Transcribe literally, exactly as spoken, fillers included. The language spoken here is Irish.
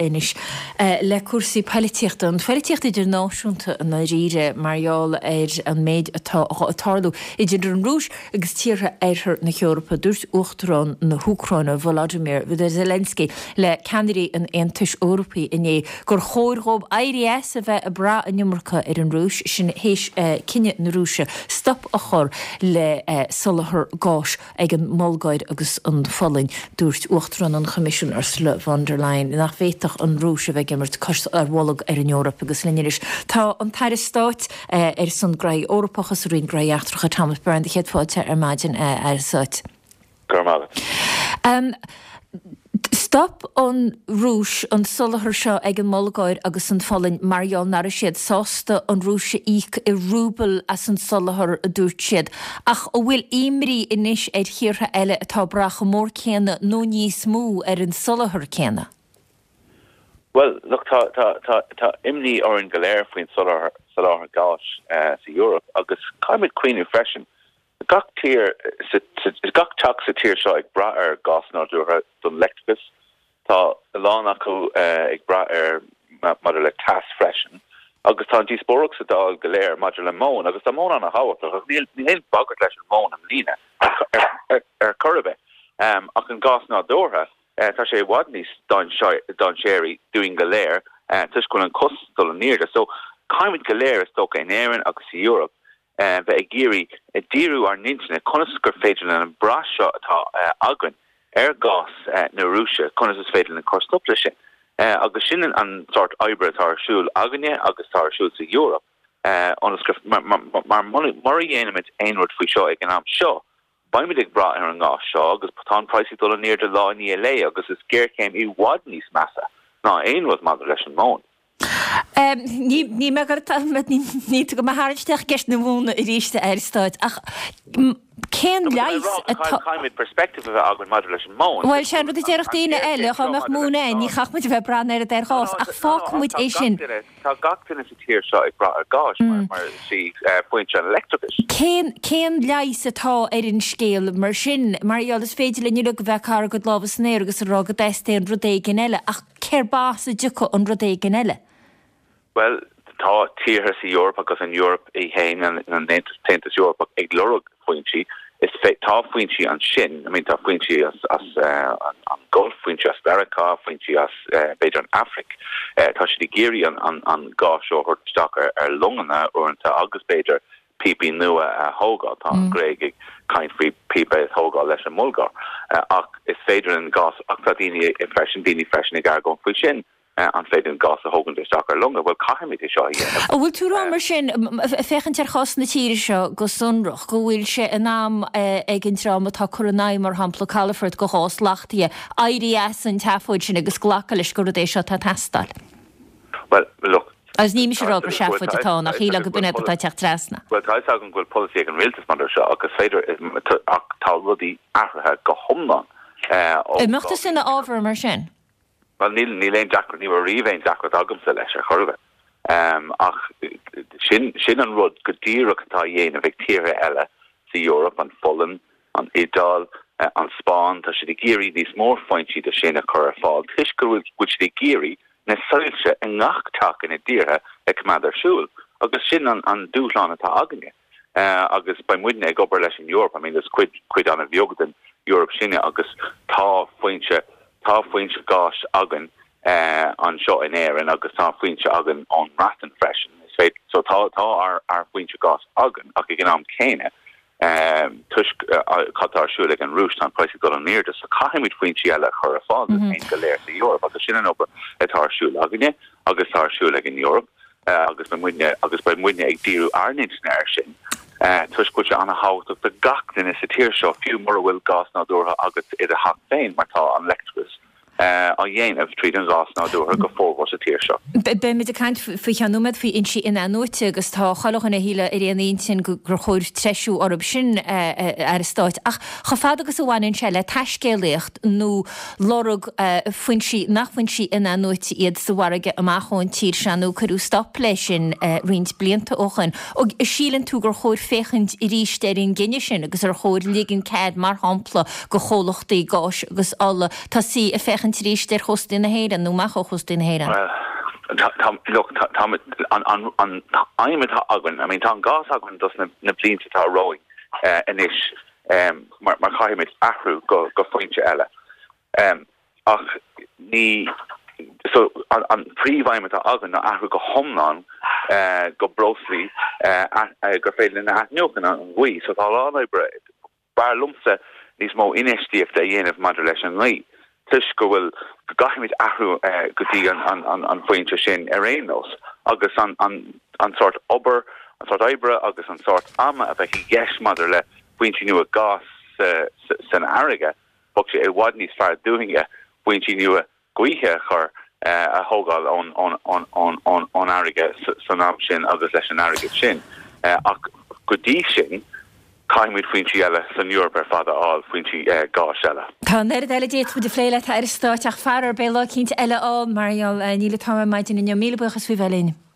Anois le cúrsaí poilitíochta, an phoilitíocht idirnáisiúnta i ndáiríre mar gheall ar an méid atá ag tarlú idir an Rúis agus tíortha oirthear na hEorpa. Dúirt Uachtarán na hÚcráine Volodymyr Zelensky le ceannairí an Aontais Eorpaigh inné gur chóir dóibh éirí as a bheith ag brath an iomarca ar an Rúis, sin théis cinneadh na Rúise stop a chur le soláthar gáis ag an mBulgáir agus an Pholainn. Dúirt Uachtarán an Choimisiúin Ursula von der Leyen nach bhféadfadh an Rúis a bheith ag imirt cos ar bholg ar an Eoraip agus linn anois tá an tAire Stáit ar son Gnóthaí Eorpacha sa Roinn Gnóthaí Eachtracha Thomas Byrne do chéad fáilte ar maidin Aire Stáit. Go raibh maith agat. Stop an Rúis an soláthar seo ag an mBulgáir agus an Pholainn mar gheall nach raibh siad sásta an Rúis a íoc i rúbal as an soláthar a dúirt siad. Ach an bhfuil imní anois ar thíortha eile atá ag brath chomh mór céanna nó níos mó ar an soláthar céanna? Well, look, tá tá tá tá imní orainn go léir faoin soláthar soláthar gáis uh, sa Eoraip agus caithfimid cuimhneamh freisin. Gach tír gach teach sa tír seo ag brath ar gás nádúrtha don leictreachas. Tá a lán acu uh, ag brath ar maidir le teas freisin. Agus tá an díospóireacht sa Dáil go léir maidir le móin agus tá móin an-thábhachtach níl ní haon bagairt leis an móin am líne ar ar chor ar bith. Um, ach an gás nádúrtha Uh, tá sé i bhfad níos dainséaraí dúinn go léir uh, toisc go an costas dul in airde. So caithfimid go léir is dócha in Éirinn agus sa Eoraip uh, bheith ag iarraidh ag díriú ár n-intinne conas gur féidir an brath seo atá uh, againn ar gás uh, na Rúise conas is féidir an cur stop leis sin. Uh, agus sin an sórt oibre atá ar siúl againne agus tá ar siúl sa Eoraip. Uh, mar mar mura dhéanaimid aon rud faoi seo ag an am seo. Beimid ag brath ar an gás seo agus tá praghas dul in airde lá i ndiaidh lae agus is géarchéim i bhfad níos measa ná aon rud maidir leis an móin. Ní ní me ní go mar tharraingt ceist na móna arís Aire Stáit ach cén leigheas Caithfimid perspective a bheith againn maidir leis an móin. Well sin rud a déarfadh daoine eile dá mbeadh móin ann ní chaithfeadh muid a bheith ag brath ar ar ghás ach fágfaidh muid é sin. Tá gach duine sa tír seo ag brath ar gás mar mar sí foinse an leictreachais. Cén cén leigheas atá ar an scéal mar sin mar gheall is féidir linn uilig a bheith ag cur ár gcuid lámha san aer agus a rá go dteastaíonn rud éigin eile ach cér bas a dtiocfadh an rud éigin eile? Well, tá tíortha sa Eoraip agus an Eoraip í féin an an Aontas Eorpach ag lorg foinsí is tá foinsí ansin I mean tá foinsí as as uh, an, an Gulf foinsí as America foinsí as uh, b'fhéidir an Afraic uh, tá siad ag iarraidh an an, an gás seo isteach ar, ar longanna uaireanta agus b'fhéidir píopaí nua a thógáil tá an mm. Gréig ag caint faoi píopa a thógáil leis an mBulgáir uh, ach is féidir an gás ach tá daoine freisin daoine freisin ag argóint faoi sin an féidir an gás a thógaint isteach ar longa, well caithfimid é seo a dhéanamh. An bhfuil tú ag rá mar sin féachaint ar chás na tíre seo go sonrach go bhfuil sé in am ag an dream atá cur in aghaidh mar shampla calafort go gás lachtaithe éirí as an tseafóid sin agus glacadh leis gur rud é seo atá ag teastáil. Well look Agus ní mise rá gur seafóid atá nach shíl go b'in atá teacht trasna. Well tá an bhfuil polasaí ag an rialtas mar seo agus féidir ach tá rudaí athraithe go hiomlán. An mbeadh tú ina fhábhar mar sin? Well níl níl aon deacracht ní riamh aon deacracht agamsa leis ar chor ar bith. Um, ach sin sin an rud go díreach atá á dhéanamh ag tíortha eile sa Eoraip an Pholainn, an Iodáil, uh, an Spáinn, tá siad ag iarraidh níos mó foinsí de sin a chur ar fáil. Toisc go bhfuil siad ag iarraidh na soilse i ngach teach ina dtíortha a choimeád ar siúl. Agus sin an, an dúshlán atá againne. Uh, agus beidh muidne ag obair leis an Eoraip, I mean, is cuid cuid an-bheag den Eoraip sinne agus tá foinse tá foinse gáis againn uh, anseo in Éirinn agus tá foinse againn ón mBreatain freisin. Is so tá tá ár ár foinse gáis againn ach ag an am céanna um, toisc uh, cad atá ar siúl ag an Rúis tá praghas dul in airde so caithfimid foinsí eile chur ar fáil mm -hmm. go léir sa Eoraip agus sin an obair atá ar siúl againne agus tá ar siúl ag an Eoraip uh, agus beidh muidne agus beidh muidne ag díriú ár n-intinne air sin. Uh, toisc go bhfuil sé an-thábhachtach do gach duine sa tír seo fiú mura bhfuil gás nádúrtha agat i do theach féin mar tá an leictreachas uh, á dhéanamh tríd an gás nádúrtha go formhór sa tír seo. Beimid ag caint faoi cheann nóiméad faoi fhoinsí in-athnuaite agus tá chuile dhuine shíle ar aon intinn gur chóir treisiú orthu sin Aire Stáit ach chomh fada agus a bhaineann sé le taiscéalaíocht nó lorg foinsí nach foinsí in-athnuaite iad sa bhfarraige amach ón tír seo nó cuireadh stop leis sin roinnt blianta ó shin. Síleann tú gur chóir féachaint arís ar an gcinneadh sin agus ar chóir ligean cead mar shampla do chomhlachtaí gáis agus ola tosaí ag féachaint féachaint arís ar chóstaí na hÉireann nó amach ó chóstaí na hÉireann. Tá an an aidhm atá againn, I mean tá an gás againn dos na na blianta atá romhainn uh, anois um, mar mar caithfimid athrú go go foinse eile. Um, ach ní so an, an príomhaidhm atá againn ná athrú go hiomlán uh, go breoslaí uh, uh, gur féidir linn a athnuachan an ghaoth, so tá lá oibre b'fhearr liomsa níos mó infheistíochta a dhéanamh maidir leis an ngaoth. Toisc go bhfuil go gcaithfimid athrú uh, go dtí an, an, an, an phointe sin ar aon nós agus an, an, an sórt obair an sórt oibre agus an sórt ama a bheith i gceist maidir le foinsí nua gas uh, san fharraige bheadh sé i bhfad níos fearr dúinne foinsí nua gaoithe a chur uh, a thógáil ón ón ón ón ón ón fharraige san am sin agus leis an airgead sin. Uh, ach go dtí sin, caithfimid foinsí eile san Eoraip ar fad a fháil foinsí uh, gáis eile. Tá an oiread eile d'fhéadfadh muid a phlé leat a Aire Stáit ach faraor beidh lá eicínt eile ann mar níl an t-am maidin inniu míle buíochas faoi bheith linn.